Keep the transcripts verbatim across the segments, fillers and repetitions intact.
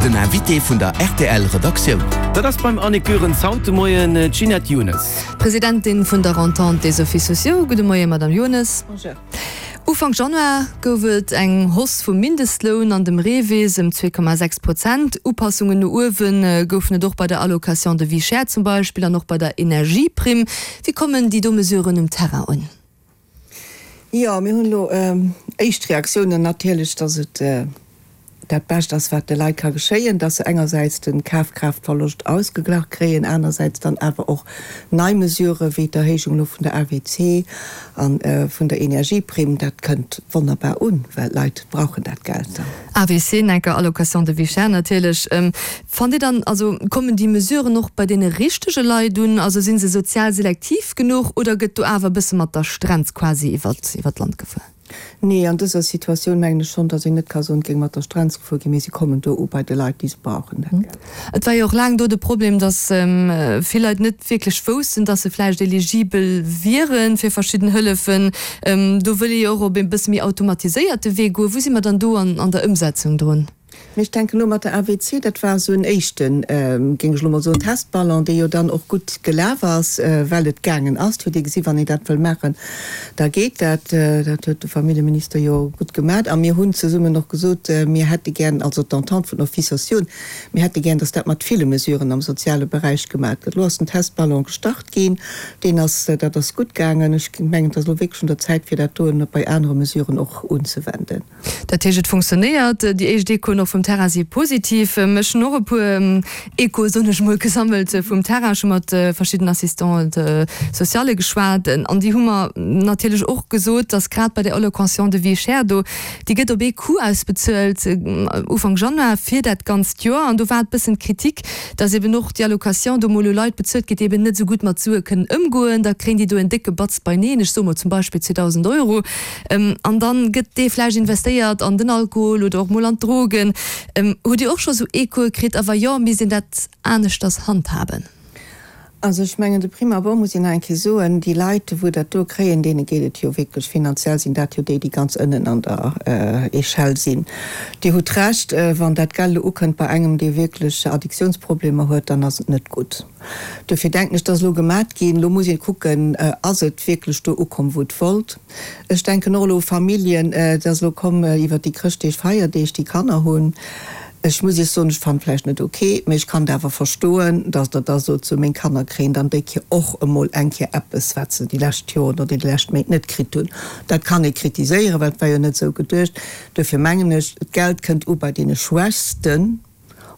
Den Invité vun der R T L Redaktioun. Dat ass beim Annick Goerens haut de Moien d'Ginette Younes. Presidentin vun der Entente des Offices sociaux. Gudde Moien, Madame Younes. Bonjour. Ufank Januar gouf et eng Hausse vum Mindestloun an dem REVIS ëm zwee Komma sechs Prozent. Upassungen no uewe goufen et och bei der Allocation de vie chère zum Beispill an och bei der Energieprimm. Wéi kommen déi do Mesuren um Terrain un? Jo, mir hunn elo ähm, éischt Reaktiounen natierlech, dass et äh, dat Bescht ass, wat de Leit ka geschéien, dass se engersäits de Kafkraaftverloscht ausgeglach kréien, anersäits dann awer och nei Mesurë wéi d'Erhéijung vun der A W C an äh, vun der Energieprimm, dat kënnt wonnerbar un, well d'Leit brauchen dat Geld dann. A W C, enker Allocation de vie chère natierlech. Ähm, fannt Dir dann, also kommen déi Mesuren och bei deene richtege Leit un, also si se sozial selektiv genuch oder gëtt do awer bësse mat der Strenz quasi iwwer iwwer d'Land gefuer? Nee, an dëser Situatioun mengen ech schonn, dass een net ka soen, et géing mat der Strenz gefuer ginn, mee se kommen do u bei de Leit, déi se brauchen, dat Geld. Et war jo och laang do de Problem, dass ähm, vill Leit net wierklech woussten, dass se vläicht eligibel wiere fir verschidden Hëllefen. Ähm, do wëll ee jo och op e bësse méi automatiséierte Wee goen. Wou si mer dann do an, an der Ëmsetzung drun? Mee ech denken elo mat der A W C, dat war esou en éischten, géing ech elo mol soen, Testballon, dee jo dann och gutt gelaf ass, well et gaangen ass. Et huet ee gesi wann een dat wëll maachen, da geet dat. Dat huet de Familljeminister jo gutt gemaach. A mir hunn zesummen och gesot, mir hätte gären, also d'Entente vun Offices sociaux, mir hätte gären, datt dat mat ville Mesuren am soziale Beräich gemaach gëtt. Elo ass den Testballon gestart ginn, deen ass, dat ass gutt gaangen. Ech mengen, et ass elo wierklech un der Zäit, fir dat doen bei anere Mesuren och unzewenden. Dat heescht, et funktionéiert. Déi éischt Echoen och vum Terrain si positiv. Ech hunn och e puer Echoe, soen ech mol, gesammelt vum Terrain. Ech hu mat verschiddenen Assistante sociale geschwat an déi hu mer natierlech och gesot, dass grad bei der Allocation de vie chère do, déi gëtt op ee Coup ausbezuelt Ufank Januar fir dat ganzt Joer. An do war et bëssen d'Kritik, dass eben och déi Allocation do mol u Leit bezuelt gëtt, déi eben net esou gutt mat Sue kënnen ëmgoen. Da kréien déi do en décke Batz beineen, ech soe mol zum Beispill zweedausend Euro, an dann gëtt dee vläicht investéiert an den Alkohol oder och mol an d'Drogen. Hutt Dir och scho sou Echoe kritt a wa jo, misst een dat aneschters handhaben? Also ech mengen, de prime abord muss een nach eng Kéier soen, déi Leit, wou dat do kréien, deene geet et jo wierklech finanziell, sinn dat jo déi, déi ganz ënnen an der Echelle sinn. Dir hutt Recht, wann dat Geld elo ukënnt bei engem, dee wierklech Addiktiounsproblemer huet, dann ass et net gutt. Dofir denken ech, dat ass elo gemat ginn. Elo muss ee kucken, ass et wierklech do ukomm, wou et wollt. Ech denken och elo u Familljen, et ass elo komm iwwert déi Chrëschtdeeg, Feierdeeg, déi Kanner hunn. Ech muss Iech soen, ech fannen vläicht net ok, mee ech kann et awer verstoen, dass Der da sot, sou meng Kanner kréien dann déi Kéier och emol eng Kéier eppes, wat se déi lescht Joren oder déi lescht Méint net kritt hunn. Dat kann ee kritiséieren, well et war jo net esou geduecht. Duerfir mengen ech, d'Geld kënnt u bei deene Schwächsten.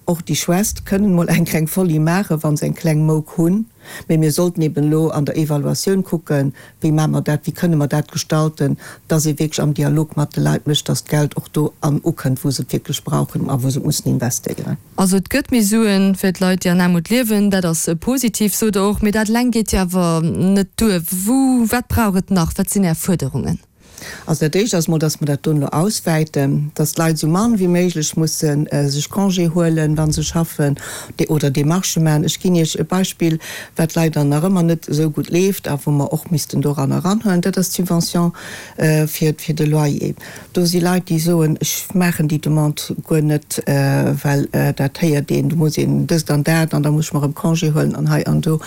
Och déi Schwächst kënnen mol eng kleng Folie maachen, wa se eng kleng Mouk hunn. Mee mir sollten eben elo an der Evaluatioun kucken, wéi maache mer dat, wéi kënne mer dat gestalten, dass ee wierklech am Dialog mat de Leit mécht, dass d'Geld och do an ukënnt, wou se et wierklech brauchen a wou se et mussen investéieren. Also et gëtt méi Suen fir d'Leit, déi an Aarmut liewen, dat ass positiv, sot Der och. Mee dat eleng geet jo awer net duer. Wou, wat brauch et nach? Wat sinn Är Fuerderungen? Also dat Éischt ass mol, dass mer dat do elo auswäiten, dass d'Leit esou mann wéi méiglech musse sech Congé huelen, wa se schaffen, oder Demarchë maachen. Ech ginn Iech e Beispill, wat leider nach ëmmer net esou gutt leeft a wou mer och missten doran eranhuelen, dat ass d'Subvention fir fir de Loyer. Do si Leit, déi soen, ech maachen déi Demande guer net, well dat héiert een, do muss een dëst an dat an da muss ech mer erëm Congé huelen an hei an do.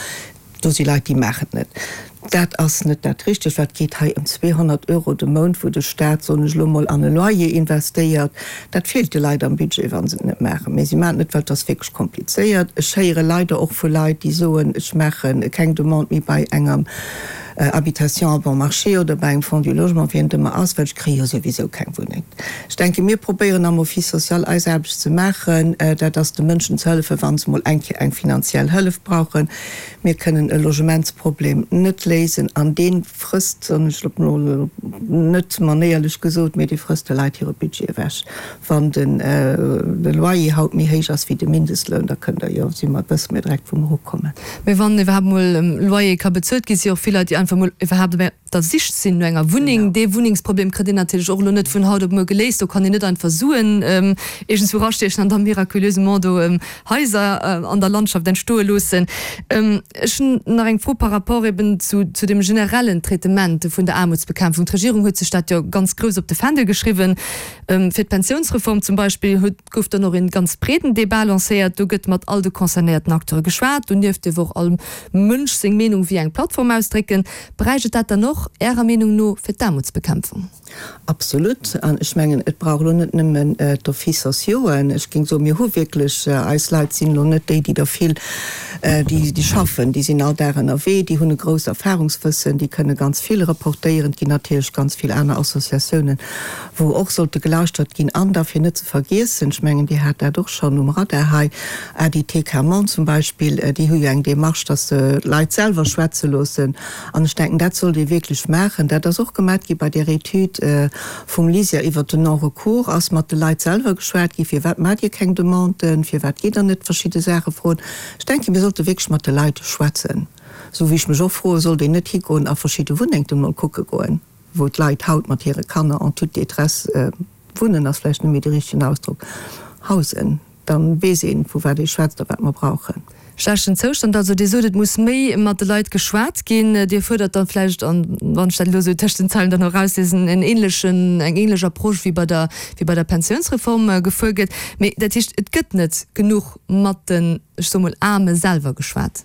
Do si Leit, déi maachen et net. Dat ass net dat Richtegt, well et geet hei ëm zweehonnert Euro de Mount, wou de Staat, soen ech elo mol, an e Loyer investéiert. Dat feelt de Leit am Budget, wa se et net maachen. Mee si maachen et net, well et ass wierklech komplizéiert. Ech héiere leider och vu Leit, déi soen, ech maache keng Demande méi bei enger Habitation à bon marché oder bei engem Fonds du logement, wien et ëmmer ass, well ech kréie jo souwisou keng Wunneng. Ech denke, mir probéieren am Office social eis Aarbecht ze maachen, dat ass de Mënschen ze hëllefen, wa se mol eng Kéier eng finanziell Hëllef brauchen. Mir kënnen e Logementsproblem net léisen an dee frësst, soen ech elo mol net manéierlech gesot, mee dee frësst de Leit hire Budget ewech. Wann de Loyer haut méi héich ass wéi de Mindestloun, da kënnt Der jo, si mer, wësse mir direkt, wou mer ukommen. Mee wann iwwerhaapt mol Loyer ka bezuelt ginn, si jo och vill Leit, déi einfach mol iwwerhaapt op der Sich sinn no enger Wunneng. Dee Wunnengsproblem kritt een natierlech och elo net vun haut op muer geléist. Do kann een net einfach Suen iergendswou erastiechen an da miraculösement do Haiser an der Landschaft entstoe loossen. Ech hunn nach eng Fro par rapport eben zu zu dem generellen Traitement vun der Aarmutsbekämpfung. D'Regierung huet sech dat jo ganz grouss op de Fändel geschriwwen. Fir d'Pensiounsreform zum Beispill huet gouf dann och een ganz breeden Débat lancéiert. Do gëtt mat all de concernéierten Acteure geschwat. Donieft dierf och all Mënsch seng Meenung via eng Plattform ausdrécken. Bräicht et dat dann och Ärer Meenung no fir d'Aarmutsbekämpfung? Absolut. An ech mengen, et brauch elo net nëmmen d'Offices sociauxen. Ech géing soen, mir hu wierklech, eis Leit sinn elo net déi, déi der vill, déi, déi schaffen, déi sinn all Dag ënnerwee, déi hunn e grousst Erfahrungswëssen, déi kënne ganz vill reportéieren. Et ginn natierlech ganz vill aner Associatiounen, wou och sollte gelauschtert ginn. An da fir net ze vergiessen, ech mengen, Dir hat dat och schonn um Radar hei, ADT Quermont zum Beispill, déi hu jo eng Démarche, dass se d'Leit selwer schwätze loossen. An ech denken, dat sollt ee wierklech maachen. Dat ass och gemat gi bei där Etüd vum LISER iwwert den Non-recours, ass mat de Leit selwer geschwat gi, Firwat maacht Dir keng Demanden? Firwat gitt Der net verschidde Saache froen? Ech denken, mir sollte wierklech mat de Leit schwätzen. Esou wéi ech mech och froen, sollt een net higoen a verschidde Wunnengten mol kucke goen, wou d'Leit haut mat hire Kanner en toute détresse wunnen, ass vläicht net méi de richtegen Ausdrock, hausen. Dann weess een, vu wat ee schwätzt a wat mer brauchen. Schlechten Zoustand. Also Dir sot, et muss méi mat de Leit geschwat ginn. Dir fuerdert dann vläicht, an wann ech dat elo esou tëscht den Zeilen dann och erausliesen, en ähnlechen, eng ähnlech Approche wéi bei der, wéi bei der Pensiounsreform gefuer gëtt. Mee dat heescht, et gëtt net genuch mat den, ech soe mol, Aarme selwer geschwat?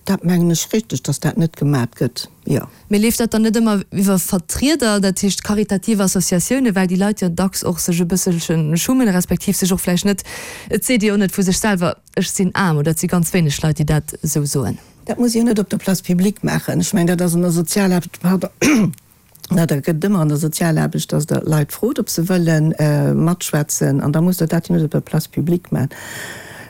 Dat mengen ech richteg, dass dat net gemat gëtt, jo. Mee leeft dat dann net ëmmer iwwer Vertrieder, dat heescht karitativ Associatiounen, well déi Leit jo dacks och sech e bësselche schummen, respektiv sech och vläicht net, et seet ee jo net vu sech selwer, ech sinn aarm, oder et si ganz wéineg Leit, déi dat esou soen. Dat muss ee jo net op der Place publique maachen. Ech mengen, dat ass an der Sozialaarbecht, pardon, dat gëtt et ëmmer an der Sozialaarbecht, dass Der Leit frot, ob se wëlle matschwätzen, an da musst Der dat jo net op der Place publique maachen.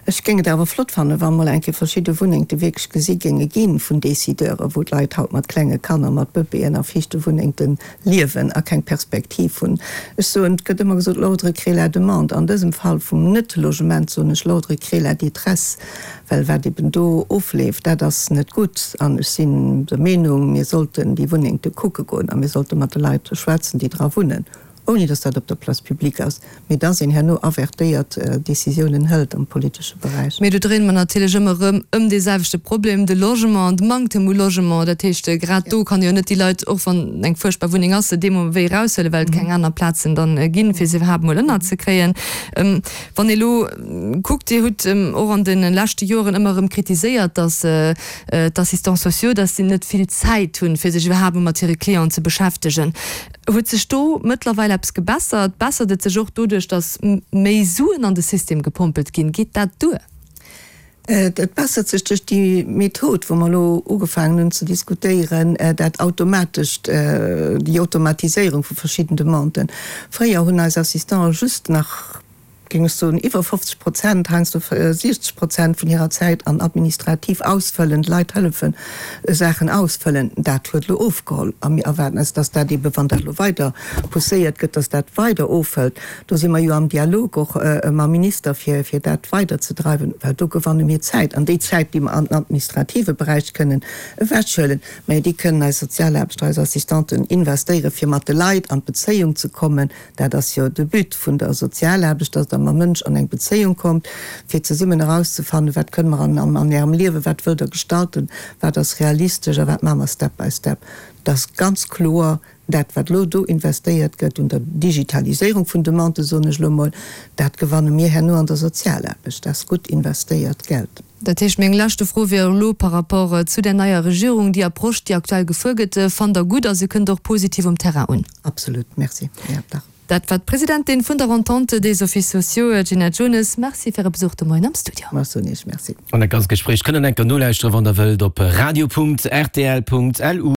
Ech géing et awer flott fannen, wa mol eng Kéier verschidde Wunnengte wierklech gesi géinge gi vun Décideuren, wou d'Leit haut mat klenge Kanner, mat Bëbeeën a fiichte Wunnengte liewen a keng Perspektiv hunn. Ech soen, et gëtt ëmmer gesot, l'ordre crée la demande. An dësem Fall vum Net-Logement soen ech, l'ordre crée la détresse, well wat eben do ofleeft, dat ass net gutt. An ech sinn der Meenung, mir sollten déi Wunnengte kucke goen a mir sollte mat de Leit schwätzen, déi dra wunnen. ouni dass dat op der Place publique ass, mee dass een herno avertéiert Décisiounen hëlt am politesche Beräich. Mee do dréine mer natierlech ëmmer erëm ëm dee selwechte Problem, de Logement, de Manktem u Logement. Dat heescht, grad do kann ee jo net déi Leit, och wann eng fuerchtbar Wunneng ass, dee Moment wéi eraushuelen, well et keng aner Plazen dann ginn, fir se iwwerhaapt emol ënnerzekréien. Wann ee elo kuckt, Dir hutt och an de leschte Joren ëmmer erëm kritiséiert, dass d'Assistants sociaux, dass si net vill Zäit hunn, fir sech iwwerhaapt emol mat hire Clienten ze beschäftegen. Huet sech do mëttlerweil eppes gebessert? Bessert et sech och doduerch, datt méi Suen an de System gepompelt ginn? Geet dat duer? Et bessert sech duerch déi Method, wou mer elo ugefaangen hunn ze diskutéieren, dat automatescht, déi Automatiséierung vu verschidden Demanden. Fréier hunn eis Assistante just nach, géing ech soen, iwwer fofzeg Prozent, heiansdo siechzeg Prozent vun hirer Zäit an administrativ ausfëllen, d'Leit hëllefen Saachen ausfëllen. Dat huet elo ofgeholl a mir erwaarden eis, dass dat eebe, wann dat elo weider pousséiert gëtt, dass dat weider ofhëlt. Do si mer jo am Dialog och mam Minister, fir fir dat weiderzedreiwen, well do gewanne mir Zäit. An déi Zäit, déi mer an den administrative Beräich kënnen ewechhuelen, mä déi kënnen eis Sozialaarbechter, eis Assistanten investéieren, fir mat de Leit an d'Bezéiung ze kommen. Dat ass jo de But vun der Sozialaarbecht, dass Der mam Mënsch an eng Bezéiung kommt, fir zesummen erauszefannen, wat kënne mer an an Ärem Liewen, wat wëllt Der gestalten, wat ass realistesch a wat maache mer step by step. Et ass ganz kloer, dat wat elo do investéiert gëtt un der Digitaliséierung vun Demanden, soen ech elo emol, dat gewanne mir herno an der Sozialaarbecht. Dat ass gutt investéiert Geld. Dat heescht, meng leschte Fro wier elo par rapport zu där neier Regierung, Déi Approche, déi aktuell gefuer gëtt, fannt Der gutt a se kënnt och positiv um Terrain un? Absolut. Merci, Här Dach. Dat war d'Presidentin vun der Entente des Offices sociaux, Ginette Jones. Merci fir Äre Besuch de Moien am Studio. Ech soen Iech Merci. An dat ganzt Gespréich kënnt der enker nolauschteren, wann der wëllt, op radio.rtl.lu.